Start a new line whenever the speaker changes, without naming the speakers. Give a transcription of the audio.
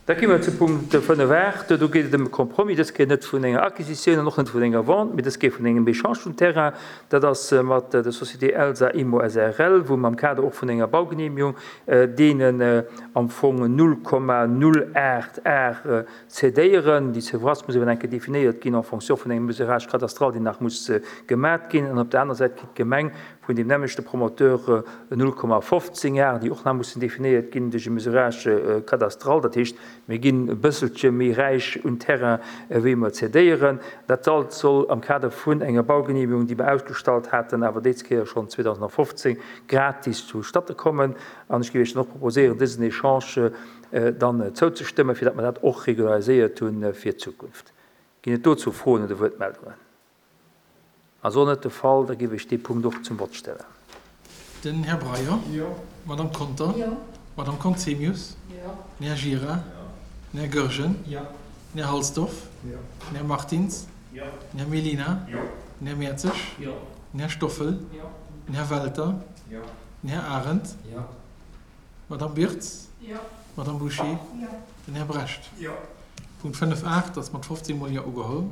Da gi mer zu Punkt 5 art. Do geet et ëm e Compromis, dës Kéier net vun enger Acquisitioun an och net vun enger Vente, mee dës Kéier vun engem Echange vum Terrain. Dat ass mat der Société Elsa Immo srl, wou mer am Kader och vun enger Baugenehmigung deenen am Fong 0,08 Ar cédéieren. Déi Surface muss awer nach eng Kéier definéiert ginn en fonction vun engem Mesurage cadastral, deen nach muss gemat ginn. An op der aner Säit kritt d'Gemeng vun deem nämmlechte Promoteur 0,15 Ar, déi och nach mussen definéiert ginn duerch e Mesurage cadastral. Dat heescht, mir ginn e bësselche méi räich un Terrain, wéi mer cédéieren. Dat alt soll am Kader vun enger Baugenehmigung, déi mer ausgestallt haten, awer déi Kéier schonn 2015, gratis zustatte kommen. An ech géif Iech dann och proposéieren, dësen Echange dann zouzestëmmen, fir datt mer dat och regulariséiert hu fir d'Zukunft. Ginn et dozou Froen oder Wuertmeldungen? Ass och net de Fall, da géif ech dee Punkt och zum Vott stellen.
Den Här Breyer. Jo. D'Madame Conter. Jo. D'Madame Conzemius. Jo. Den Här Gira. Jo. Den Här Goergen. Jo. Den Här Halsdorf. Jo. Den Här Martins. Jo. Den Här Mellina. Jo. Den Här Mertzig. Jo. Den Här Stoffel. Jo. Den Här Welter. Jo. Den Här Arendt. Jo. D'Madame Birtz. Jo. D'Madame Bouché. Jo. Den Här Brecht. Jo. Punkt 5 art ass mat 15 mol Jo ugeholl.